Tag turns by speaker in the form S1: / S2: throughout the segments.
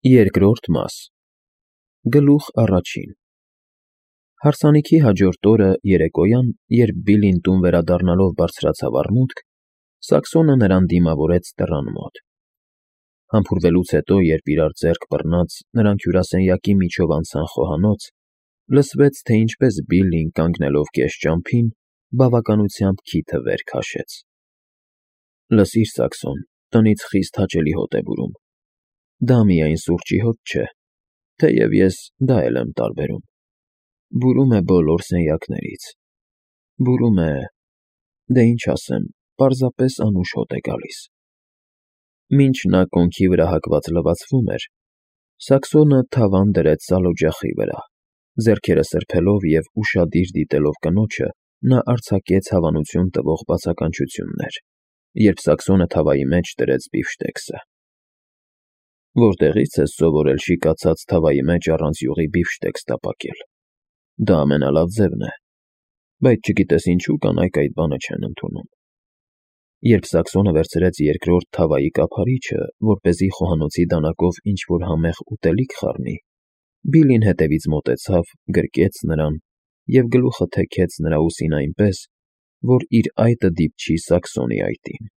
S1: Երկրորդ մաս Գլուխ առաջին Հարսանիքի հաջորդ օրը երեկոյան, երբ Բիլին տուն վերադառնալով բարձրացավ առմուտք, Սաքսոնը նրան դիմավորեց դռան մոտ։ Համբուրվելուց հետո, երբ իրար ձեռք բռնած նրանք հյուրասենյակի միջով անցան խոհանոց, լսվեց, թե ինչպես Բիլին, կանգնելով կես ճամփին, բավականությամբ քիթը վեր քաշեց։ Լսիր, Սաքսոն, տնից խիստ հաճելի հոտ է բուրում։ Դա միայն սուրճի հոտ չէ, թեև ես դա էլ եմ տարբերում։ Բուրում է բոլոր սենյակներից։ Բուրում է, դե ինչ ասեմ, պարզապես անուշ հոտ է գալիս։ Մինչ նա կոնքի վրա հագված լվացվում էր, Սաքսոնը թավան դրեց սալօջախի վրա, ձեռքերը սրբելով և ուշադիր դիտելով կնոջը, նա արձակեց հավանություն տվող բացականչություններ, երբ Սաքսոնը թավայի մեջ դրեց բիֆշտեքսը։ Որտեղի՞ց ես սովորել շիկացած թավայի մեջ առանց յուղի բիֆշտեքս տապակել։ Դա ամենալավ ձևն է, բայց չգիտես ինչու կանայք այդ բանը չեն ընդունում։ Երբ Սաքսոնը վերցրեց երկրորդ թավայի կափարիչը, որպեսզի խոհանոցի դանակով ինչ-որ համեղ ուտելիք խառնի, Բիլին հետևից մոտեցավ, գրկեց նրան և գլուխը թեքեց նրա ուսին այնպես, որ իր այտը դիպչի Սաքսոնի այտին։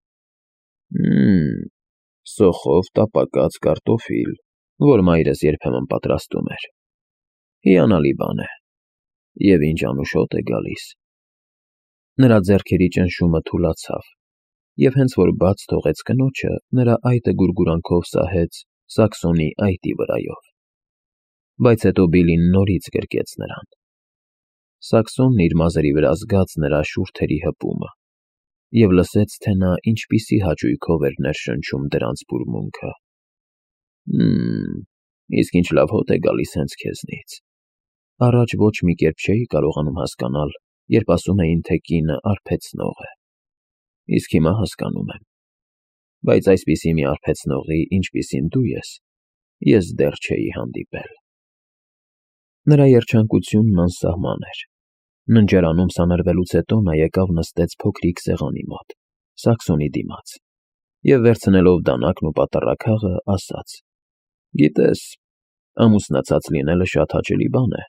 S1: Սոխով տապակած կարտոֆիլ, որ մայրս երբեմն պատրաստում էր։ Հիանալի բան է։ Եվ ինչ անուշ հոտ է գալիս։ Նրա ձեռքերի ճնշումը թուլացավ, և հենց որ բաց թողեց կնոջը, նրա այտը գուրգուրանքով սահեց Սաքսոնի այտի վրայով։ Բայց հետո Բիլին նորից գրկեց նրան։ Սաքսոնն իր մազերի վրա զգաց նրա շուրթերի հպումը և լսեց, թե նա ինչպիսի հաճույքով էր ներշնչում դրանց բուրմունքը։ Իսկ ինչ լավ հոտ է գալիս հենց քեզնից։ Առաջ ոչ մի կերպ չէի կարողանում հասկանալ, երբ ասում էին, թե կինը արբեցնող է։ Իսկ հիմա հասկանում եմ։ Բայց այսպիսի մի արբեցնողի, ինչպիսին դու ես դեռ չէի հանդիպել։ Նրա երջանկությունն անսահման էր։ Ննջարանում սանրվելուց հետո նա եկավ նստեց փոքրիկ սեղանի մոտ, Սաքսոնի դիմաց, և վերցնելով դանակն ու պատառաքաղը, ասաց. «Գիտես, ամուսնացած լինելը շատ հաճելի բան է,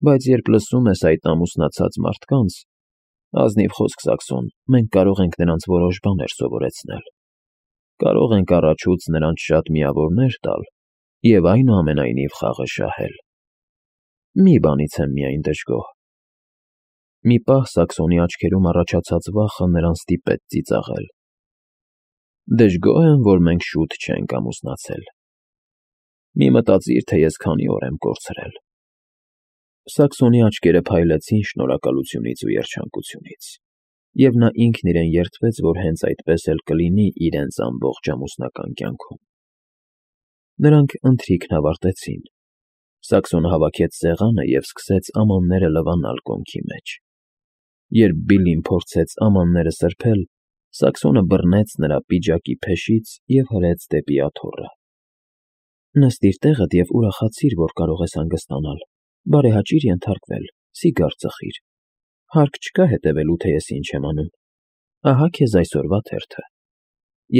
S1: բայց երբ լսում ես այդ ամուսնացած մարդկանց, ազնիվ խոսք, Սաքսոն, մենք կարող ենք նրանց որոշ բաներ սովորեցնել, կարող ենք առաջուց նրանց շատ միավորներ տալ և այնուամենայնիվ խաղը շահել։ Մի բանից եմ միայն դժգոհ»։ Մի պահ Սաքսոնի աչքերում առաջացած վախը նրան ստիպեց ծիծաղել։ «Դժգոհ եմ, որ մենք շուտ չենք ամուսնացել։ Մի մտածիր, թե ես քանի օր եմ կորցրել»։ Սաքսոնի աչքերը փայլեցին շնորհակալությունից ու երջանկությունից, և նա ինքն իրեն երդվեց, որ հենց այդպես էլ կլինի իրենց ամբողջ ամուսնական կյանքում։ Նրանք ընթրիքն ավարտեցին։ Սաքսոնը հավաքեց սեղանը և սկսեց ամանները լվանալ կոնքի մեջ։ Երբ Բիլին փորձեց ամանները սրբել, Սաքսոնը բռնեց նրա պիջակի փեշից և հրեց դեպի աթոռը։ «Նստիր տեղդ և ուրախացիր, որ կարող ես հանգստանալ, բարեհաճիր ենթարկվել, սիգար ծխիր։ Հարկ չկա հետևելու, թե ես ինչ եմ անում։ Ահա քեզ այսօրվա թերթը։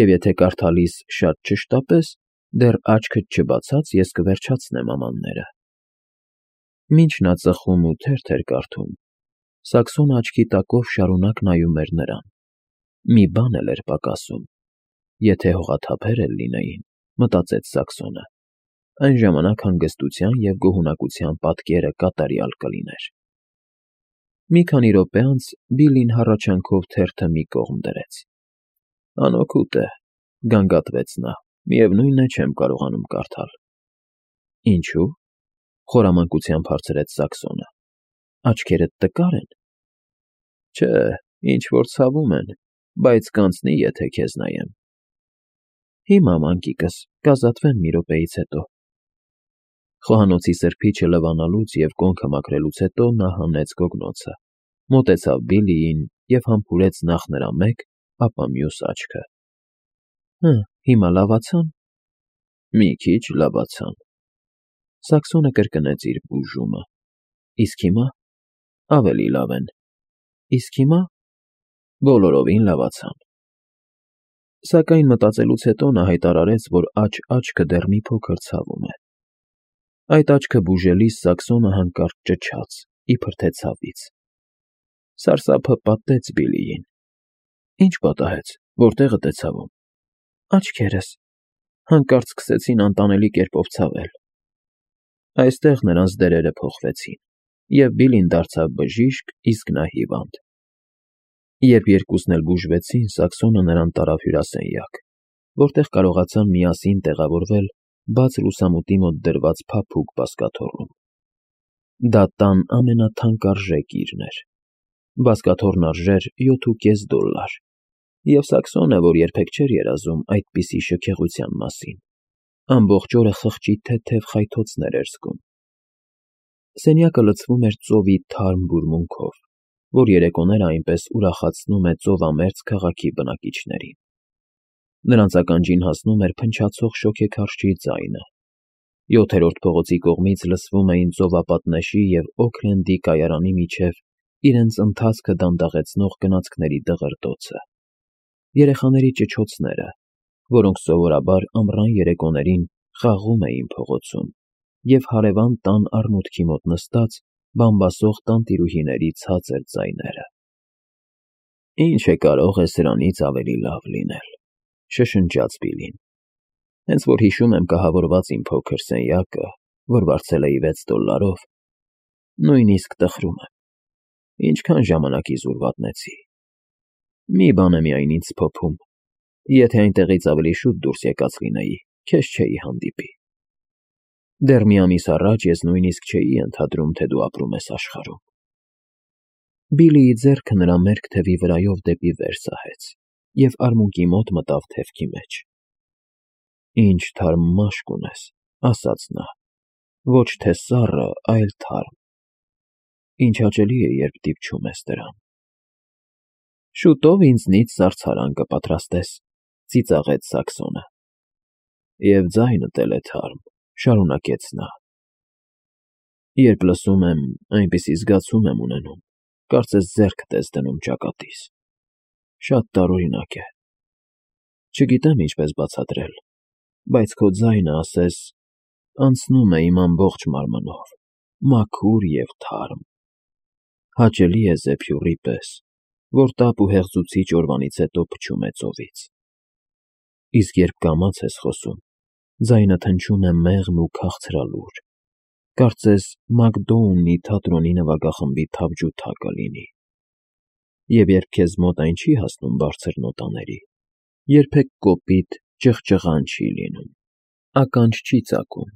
S1: Եվ եթե կարդալիս շատ չշտապես, դեռ աչքդ չբացած ես կվերջացնեմ ամանները»։ Մինչ նա ծխում ու թերթ էր կարդում, Սաքսոնը աչքի տակով շարունակ նայում էր նրան։ Մի բան էլ էր պակասում։ Եթե հողաթափեր էլ լինեին, մտածեց Սաքսոնը, այն ժամանակ հանգստության և գոհունակության պատկերը կատարյալ կլիներ։ Մի քանի րոպե անց Բիլին հառաչանքով թերթը մի կողմ դրեց։ «Անօգուտ է», գանգատվեց նա, «միևնույն է, չեմ կարողանում կարդալ»։ «Ինչու՞», խորամանկությամբ հարցրեց Սաքսոնը։ «Աչքերդ տկա՞ր են»։ «Չէ, ինչ֊որ ցավում են, բայց կանցնի, եթե քեզ նայեմ»։ «Հիմա, մանկիկս, կազատվեմ մի րոպեից հետո»։ Խոհանոցի սրբիչը լվանալուց և կոնքը մաքրելուց հետո նա հանեց գոգնոցը, մոտեցավ Բիլիին և համբուրեց նախ նրա մեկ, ապա մյուս աչքը։ Հիմա լավացա՞ն։ Մի քիչ լավացան։ Սաքսոնը կրկնեց իր բուժումը։ Իսկ հիմա ավելի լավ են։ Իսկ հիմա բոլորովին լավացան։ Սակայն մտածելուց հետո նա հայտարարեց, որ աջ-աչքը դեռ մի փոքր ցավում է։ Այդ աչքը բուժելիս Սաքսոնը հանկարծ ճչաց, իբր թե ցավից։ Սարսափը պատեց Բիլիին։ Ինչ պատահեց, որտեղդ է ցավում։ Աչքերս։ Հանկարծ սկսեցին անտանելի կերպով ցավել։ Այստեղ նրանց դերերը փոխվեցին, և Բիլին դարձավ բժիշկ, իսկ նա հիվանդ։ Երբ երկուսն էլ բուժվեցին, Սաքսոնը նրան տարավ հյուրասենյակ, որտեղ կարողացան միասին տեղավորվել բաց լուսամուտի մոտ դրված փափուկ բազկաթոռում։ Դա տան ամենաթանկարժեք իրն էր։ Բազկաթոռն արժեր $7.50, և Սաքսոնը, որ երբեք չէր երազում այդպիսի շքեղության մասին, ամբողջ օրը խղճի թեթև խայթոցներ էր զգում։ Սենյակը լցվում էր ծովի թարմ բուրմունքով, որ երեկոները այնպես ուրախացնում է ծովամերձ քաղաքի բնակիչներին։ Նրանց ականջին հասնում էր փնչացող շոգեքարշի ձայնը։ 7-րդ փողոցի կողմից լսվում էին ծովապատնեշի և Օքլենդի կայարանի միջև իրենց ընթացքը դանդաղեցնող գնացքների դղրդոցը, երեխաների ճչոցները, որոնք սովորաբար ամռան երեկոներին խաղում էին փողոցում, և հարևան տան արմուտքի մոտ նստած բամբասող տանտիրուհիների ցածր ձայները։ «Ինչ է կարող է սրանից ավելի լավ լինել», շշնջաց Բիլին։ «Հենց որ հիշում եմ կահավորված իմ փոքր սենյակը, որ վարձել էի $6, նույնիսկ տխրում եմ։ Ինչքան ժամանակ իզուր վատնեցի։ Մի բան է միայն ինձ սփոփում. եթե այնտեղից ավելի շուտ դուրս եկած լինեի, քեզ չէի հանդիպի։ Դեռ մի ամիս առաջ ես նույնիսկ չէի ենթադրում, թե դու ապրում ես աշխարհում»։ Բիլիի ձեռքը նրա մերկ թևի վրայով դեպի վեր սահեց և արմունկի մոտ մտավ թևքի մեջ։ «Ինչ թարմ մաշկ ունես», ասաց նա, «ոչ թե սառը, այլ թարմ։ Ինչ հաճելի է, երբ դիպչում ես դրան»։ «Շուտով ինձնից զարդարան կպատրաստես», ծիծաղեց Սաքսոնը։ «Եվ ձայնդ էլ է թարմ», շարունակեց նա։ «Երբ լսում եմ, այնպիսի զգացում եմ ունենում, կարծես ձեռքդ ես դնում ճակատիս։ Շատ տարօրինակ է։ Չգիտեմ ինչպես բացատրել, բայց քո ձայնը, ասես, անցնում է իմ ամբողջ մարմնով, մաքուր և թարմ։ Հաճելի է զեփյուռի պես, որ տապ ու հեղձուցիչ օրվանից հետո փչում է ծովից։ Իսկ երբ կամաց ես խոսում, ձայնդ հնչում է մեղմ ու քաղցրալուր, կարծես Մակդոունի թատրոնի նվագախմբի թավջութակը լինի։ Եվ երբ քեզ մոտ այն չի հասնում բարձր նոտաների, երբեք կոպիտ ճղճղան չի լինում, ականջ չի ծակում,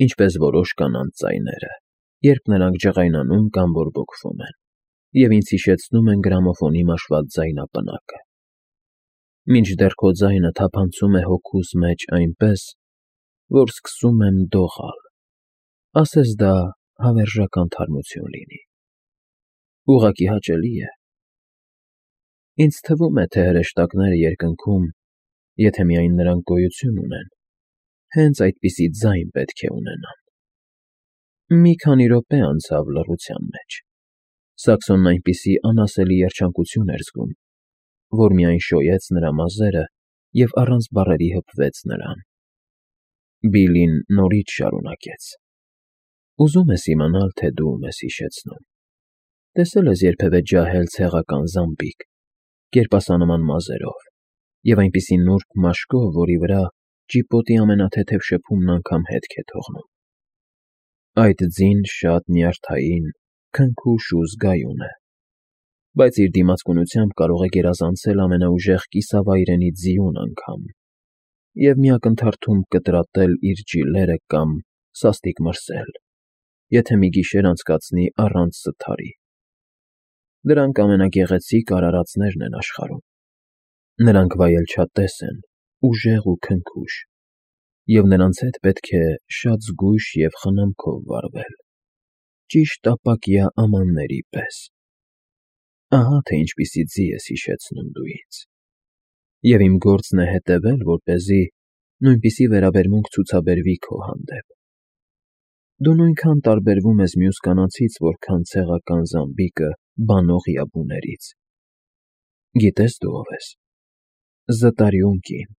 S1: ինչպես որոշ կանանց ձայները, երբ նրանք ջղայնանում կամ բորբոքվում են, և ինձ հիշեցնում են գրամոֆոնի մաշված ձայնապնակը։ Մինչդեռ քո ձայնը թափանցում է հոգուս մեջ այնպես, որ սկսում եմ դողալ, ասես դա հավերժական թարմություն լինի։ Ուղղակի հաճելի է։ Ինձ թվում է, թե հրեշտակները երկնքում, եթե միայն նրանք գոյություն ունեն, հենց այդպիսի ձայն պետք է ունենան։ Մի քանի րոպե անցավ լռության մեջ։ Սաքսոնն այնպիսի անասելի երջանկություն էր զգում, որ միայն շոյեց նրա մազերը և առանց բառերի հպվեց նրան։ Բիլին նորից շարունակեց. «Ուզում ես իմանալ, թե դու ում ես հիշեցնում։ Տեսել ես երբևէ ջահել ցեղական զամբիկ, կերպասանման մազերով և այնպիսի նուրբ մաշկով, որի վրա ճիպոտի ամենաթեթև շփումն անգամ հետք է թողնում։ Այդ ձին շատ նյարդային, քնքուշ ու զգայուն է, բայց իր դիմացկունությամբ կարող է գերազանցել ամենաուժեղ կիսավայրենի ձիուն անգամ և մի ակնթարթում կտրատել իր ջիլերը կամ սաստիկ մրսել, եթե մի գիշեր անցկացնի առանց զթարի։ Դրանք ամենագեղեցիկ արարածներն են աշխարհում։ Նրանք վայելչատես են, ուժեղ ու քնքուշ, և նրանց հետ պետք է շատ զգույշ և խնամքով վարվել, ճիշտ ապակյա ամանների պես։ Ահա թե ինչպիսի ձի ես հիշեցնում դու ինձ։ Եվ իմ գործն է հետևել, որպեսզի նույնպիսի վերաբերմունք ցուցաբերվի քո հանդեպ։ Դու նույնքան տարբերվում ես մյուս կանանցից, որքան ցեղական զամբիկը բանող յաբուներից։ Գիտես դու ով ես։ Զտարյուն կին,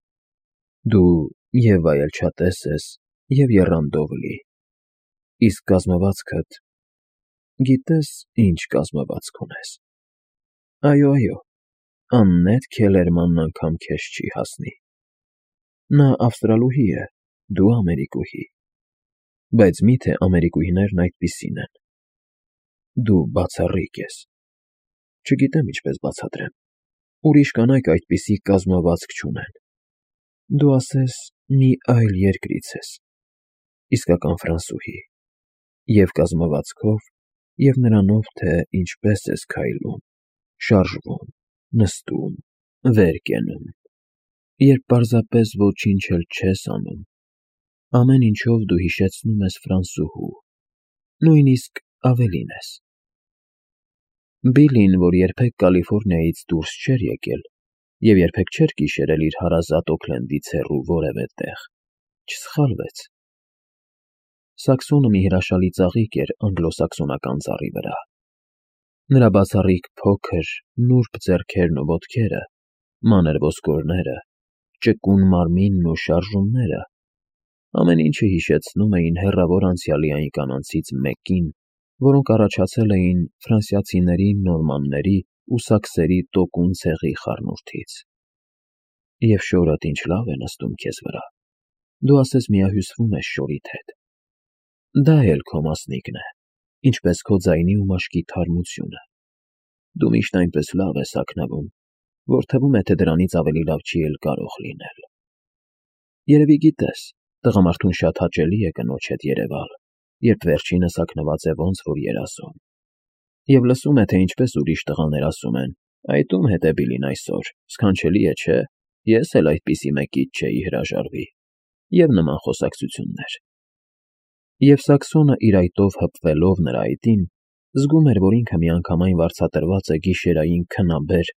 S1: դու և վայելչատես ես, և եռանդով լի, իսկ կազմվածքդ, գիտես ինչ կազմվածք ունես, այո, աննետ Քելերմանն անգամ քեզ չի հասնի, նա ավստրալուհի է, դու ամերիկուհի, բայց մի՞թե ամերիկուհիներն այդպիսին են, դու բացառիկ ես, չգիտեմ ինչպես բացատրեմ, ուրիշ կանայք այդպիսի կազմվածք չունեն, դու ասես մի այլ երկրից ես, իսկական ֆրանսուհի, և կազմվածքով, և նրանով, թե ինչպես ես քայլում, շարժվում, նստում, վեր կենում, երբ պարզապես ոչինչ էլ չես անում, ամեն ինչով դու հիշեցնում ես ֆրանսուհու, նույնիսկ ավելին ես։ Բիլլին, որ երբեք Կալիֆոռնիայից դուրս չէր եկել և երբեք չէր գիշերել իր հարազատ Օքլենդից հեռու որևէ տեղ, չսխալվեց։ Սաքսոնը մի հրաշալի ծաղիկ էր անգլոսաքսոնական ծառի վրա։ Նրա բացառիկ փոքր, նուրբ ձեռքերն ու ոտքերը, մանր ոսկորները, ճկուն մարմինն ու շարժումները, ամեն ինչը հիշեցնում էին հեռավոր անցյալի այն կանանցից մեկին, որոնք առաջացել էին ֆրանսիացիների, նորմանների ու սաքսերի տոկուն ցեղի խառնուրդից։ Եվ շորդ ինչ լավ է նստում քեզ վրա, դու ասես միահյուսվում ես շորիդ հետ։ Դա էլ քո մասնիկն է, ինչպես քո ձայնի ու մաշկի թարմությունը։ Դու միշտ այնպես լավ ես հագնվում, որ թվում է, թե դրանից ավելի լավ չի էլ կարող լինել։ Երևի գիտես, տղամարդուն շատ հաճելի է կնոջ հետ երևալ, երբ վերջինս հագնված է ոնց որ երազում։ Եվ լսում է, թե ինչպես ուրիշ տղաներ ասում են. «Այդ ում հետ է Բիլին այսօր, սքանչելի է, չէ՞, ես էլ այդպիսի մեկից չէի հրաժարվի» և նման խոսակցություններ։ Եվ Սաքսոնը իր այտով հպվելով նրա այտին, զգում էր, որ ինքը միանգամայն վարձատրված է գիշերային քնաբեր,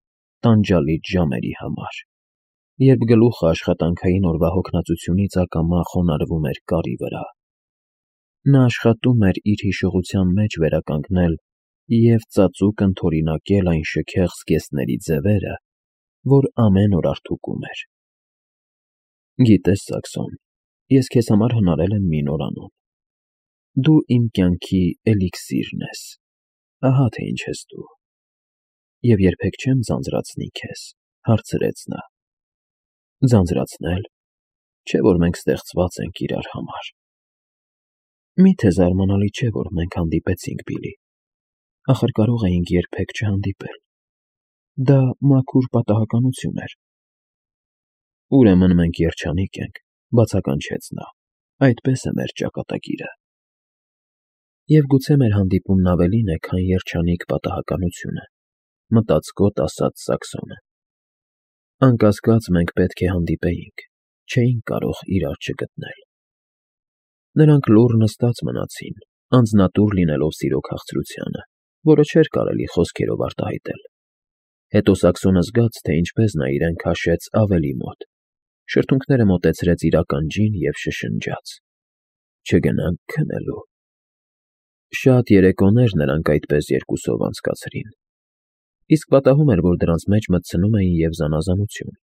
S1: տանջալից ժամերի համար, երբ գլուխը աշխատանքային օրվա հոգնածությունից ակամա խոնարհվում էր կարի վրա։ Նա աշխատում էր իր հիշողության մեջ վերականգնել և ծածուկ ընդօրինակել այն շքեղ զգեստների ձևերը, որ ամեն օր արդուկում էր։ Գիտես, Սաքսոն, ես քեզ համար հնարել եմ մի նորանուն։ Դու իմ կյանքի էլիքսիրն ես, ահա թե ինչ ես դու։ Եվ երբեք չեմ ձանձրացնի քեզ, հարցրեց նա։ Ձանձրացնել, չէ՞ որ մենք ստեղծված ենք իրար համար։ Մի՞թե զարմանալի չէ, որ մենք հանդիպեցինք, Բիլի։ Ախր կարող էինք երբեք չհանդիպել։ Դա մաքուր պատահականություն էր։ Ուրեմն մենք երջանիկ ենք, բացականչեց նա, այդպես է մեր ճակատագիրը։ Եվ գուցե մեր հանդիպումն ավելին է, քան երջանիկ պատահականությունը, մտածկոտ ասաց Սաքսոնը։ Անկասկած մենք պետք է հանդիպեինք, չէինք կարող իրար չգտնել։ Նրանք լուռ նստած մնացին, անձնատուր լինելով սիրո քաղցրությանը, որը չէր կարելի խոսքերով արտահայտել։ Հետո Սաքսոնը զգաց, թե ինչպես նա իրեն քաշեց ավելի մոտ, շրթունքները մոտեցրեց իր ականջին և շշնջաց. «Չգնանք քնելու»։ Շատ երեկոներ նրանք այդպես երկուսով անցկացրին։ Իսկ պատահում էր, որ դրանց մեջ մտցնում էին և զանազանություն,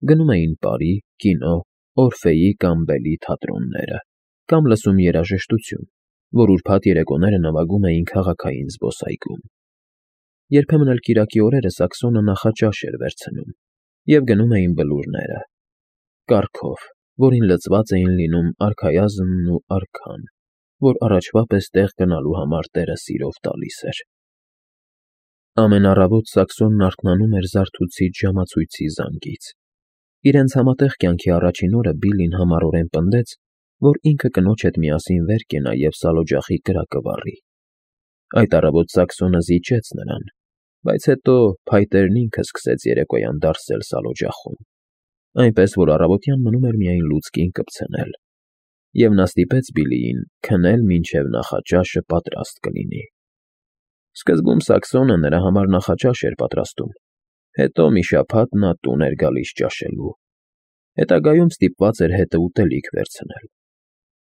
S1: գնում էին պարի, կինո, Օրֆեյի կամ Բելի թատրոնները, կամ լսում երաժշտություն, որ ուրբաթ երեկոները նվագում էին քաղաքային զբոսայգում։ Երբեմն էլ կիրակի օրերը Սաքսոնը նախաճաշ էր վերցնում, և գնում էին բլուրները, կառքով, որին լցված էին լինում արքայազնն ու արքան, որ առաջվա պես տեղ գնալու համար տերը սիրով տալիս էր։ Ամեն առավոտ Սաքսոնն արթնանում էր զարթուցիչ ժամացույցի զանգից։ Իրենց համատեղ կյանքի առաջին օրը Բիլլին համառորեն պնդեց, որ ինքը կնոջ հետ միասին վեր կենա և սալօջախի կրակը վառի։ Այդ առավոտ Սաքսոնը զիջեց նրան, բայց հետո փայտերն ինքը սկսեց երեկոյան դարսել սալօջախում, այնպես որ առավոտյան մնում էր միայն լուցկին կպցնել, և նա ստիպեց Բիլլիին քնել մինչև նախաճաշը պատրաստ կլինի։ Սկզբում Սաքսոնը նրա համար նախաճաշ էր պատրաստում, հետո մի շաբաթ նա տուն էր գալիս ճաշելու, հետագայում ստիպված էր հետը ուտելիք վերցնել։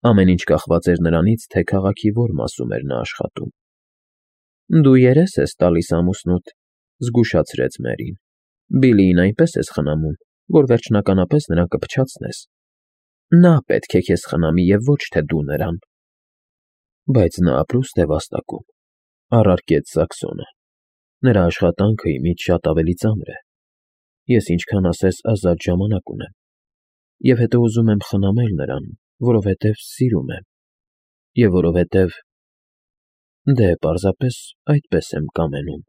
S1: Ամեն ինչ կախված էր նրանից, թե քաղաքի որ մասում էր նա աշխատում։ Դու երես ես տալիս ամուսնուդ, զգուշացրեց Մերին։ Բիլլիին այնպես ես խնամում, որ վերջնականապես նրան կփչացնես։ Նա պետք է քեզ խնամի և ոչ թե դու նրան։ Բայց նա ապրուստ է վաստակում, առարկեց Սաքսոնը։ Նրա աշխատանքը իմիջ շատ ավելի ծանր է։ Ես ինչքան ասես ազատ ժամանակ ունեմ, և հետո ուզում եմ խնամել նրան, որովհետև սիրում եմ, և որովհետև… Դե, պարզապես այդպես եմ կամենում։